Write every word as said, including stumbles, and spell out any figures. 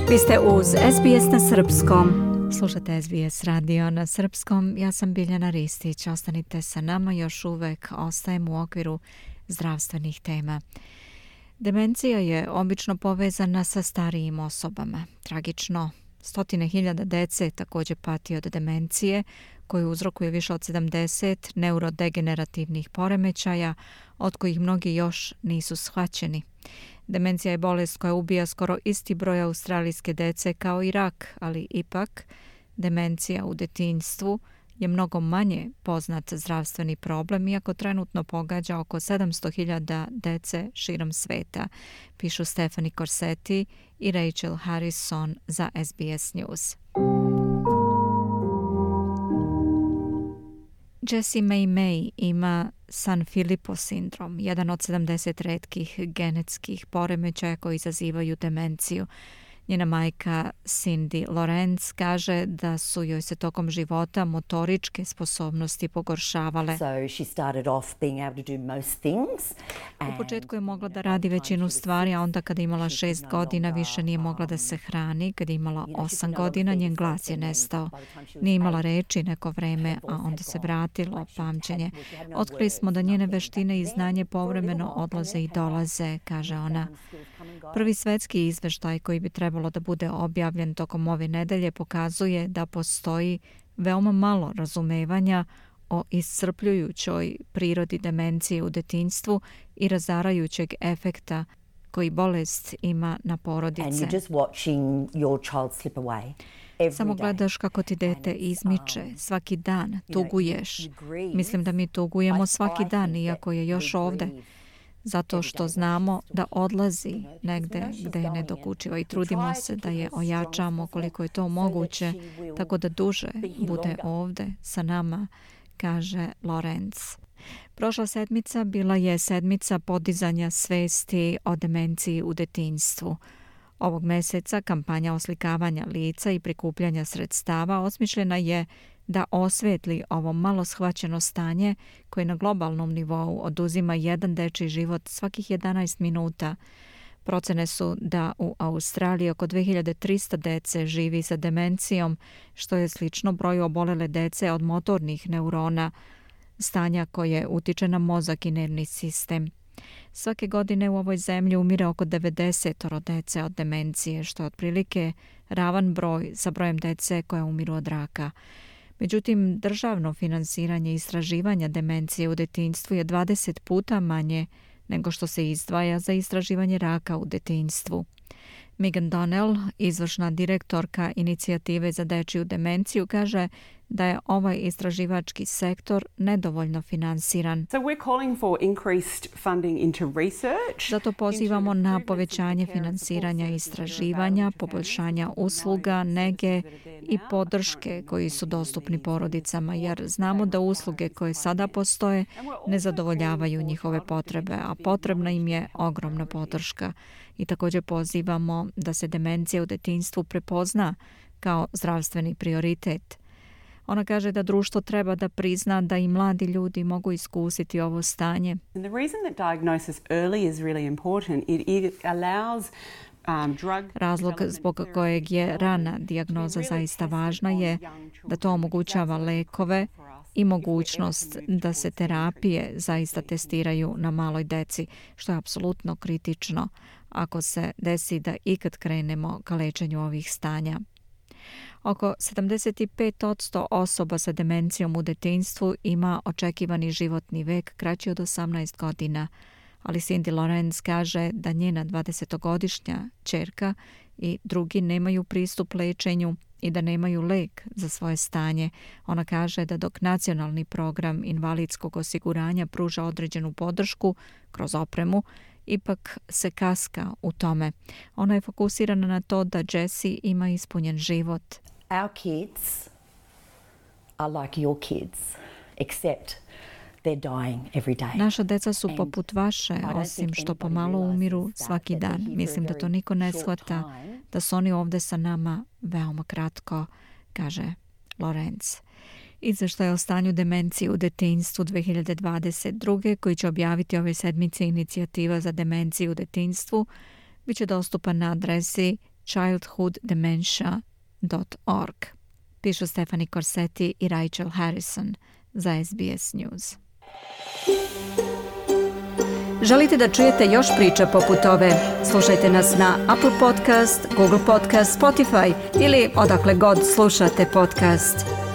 Vi ste uz S B S na srpskom. Slušate S B S radio na srpskom. Ja sam Biljana Ristić. Ostanite sa nama, još uvek ostajemo u okviru zdravstvenih tema. Demencija je obično povezana sa starijim osobama. Tragično, stotine hiljada dece također pati od demencije, koju uzrokuje više od sedamdeset neurodegenerativnih poremećaja, od kojih mnogi još nisu shvaćeni. Demencija je bolest koja ubija skoro isti broj australijske dece kao i rak, ali ipak demencija u detinjstvu je mnogo manje poznat zdravstveni problem, iako trenutno pogađa oko sedamsto hiljada dece širom sveta, pišu Stephanie Corsetti i Rachel Harrison za S B S News. Jessie May May ima Sanfilippo sindrom, jedan od sedamdeset retkih genetskih poremećaja koji izazivaju demenciju. Njena majka Cindy Lorenz kaže da su joj se tokom života motoričke sposobnosti pogoršavale. U početku je mogla da radi većinu stvari, a onda kada je imala šest godina više nije mogla da se hrani. Kada je imala osam godina njen glas je nestao. Nije imala reči neko vreme, a onda se vratilo pamćenje. Otkrili smo da njene veštine i znanje povremeno odlaze i dolaze, kaže ona. Prvi svetski izveštaj koji bi trebalo da bude objavljen tokom ove nedelje pokazuje da postoji veoma malo razumevanja o iscrpljujućoj prirodi demencije u detinjstvu i razarajućeg efekta koji bolest ima na porodice. Samo gledaš kako ti dete izmiče svaki dan, tuguješ. Mislim da mi tugujemo svaki dan, iako je još ovde. Zato što znamo da odlazi negde gde je nedokučiva i trudimo se da je ojačamo koliko je to moguće, tako da duže bude ovde sa nama, kaže Lorenz. Prošla sedmica bila je sedmica podizanja svesti o demenciji u detinjstvu. Ovog meseca kampanja oslikavanja lica i prikupljanja sredstava osmišljena je da osvetli ovo malo shvaćeno stanje koje na globalnom nivou oduzima jedan dečiji život svakih jedanaest minuta. Procene su da u Australiji oko dve hiljade trista dece živi sa demencijom, što je slično broju obolele dece od motornih neurona, stanja koje utiče na mozak i nervni sistem. Svake godine u ovoj zemlji umire oko devedeset dece od demencije, što je otprilike ravan broj sa brojem dece koja umiru od raka. Međutim, državno finansiranje istraživanja demencije u detinjstvu je dvadeset puta manje nego što se izdvaja za istraživanje raka u detinjstvu. Megan Donnell, izvršna direktorka inicijative za dečiju demenciju, kaže da je ovaj istraživački sektor nedovoljno finansiran. So we're calling for increased funding into research. Zato pozivamo na povećanje finansiranja istraživanja, poboljšanja usluga, nege i podrške koji su dostupni porodicama, jer znamo da usluge koje sada postoje ne zadovoljavaju njihove potrebe, a potrebna im je ogromna podrška. I također pozivamo da se demencija u detinjstvu prepozna kao zdravstveni prioritet. Ona kaže da društvo treba da prizna da i mladi ljudi mogu iskusiti ovo stanje. And the reason that diagnosis early is really important, it, it allows um, drug Razlog zbog kojeg je rana dijagnoza zaista važna je da to omogućava lekove i mogućnost da se terapije zaista testiraju na maloj deci, što je apsolutno kritično ako se desi da ikad krenemo ka lečenju ovih stanja. Oko sedamdeset pet posto osoba sa demencijom u detinjstvu ima očekivani životni vek kraći od osamnaest godina, ali Cindy Lorenz kaže da njena dvadesetogodišnja ćerka i drugi nemaju pristup lečenju i da nemaju lek za svoje stanje. Ona kaže da dok nacionalni program invalidskog osiguranja pruža određenu podršku kroz opremu, ipak se kaska u tome. Ona je fokusirana na to da Jessie ima ispunjen život. Our kids are like your kids, except they're dying every day. Naša deca su poput vaše, osim što pomalo umiru svaki dan. Mislim da to niko ne shvata, da su oni ovde sa nama veoma kratko, kaže Lorenz. Izveštaj o stanju demencije u detinjstvu dve hiljade dvadeset druge koji će objaviti ove sedmice inicijativa za demenciju u detinjstvu, bit će dostupan na adresi childhood dementia dot org. Pišu Stephanie Corsetti i Rachel Harrison za S B S News. Želite da čujete još priča poput ove? Slušajte nas na Apple Podcast, Google Podcast, Spotify ili odakle god slušate podcast.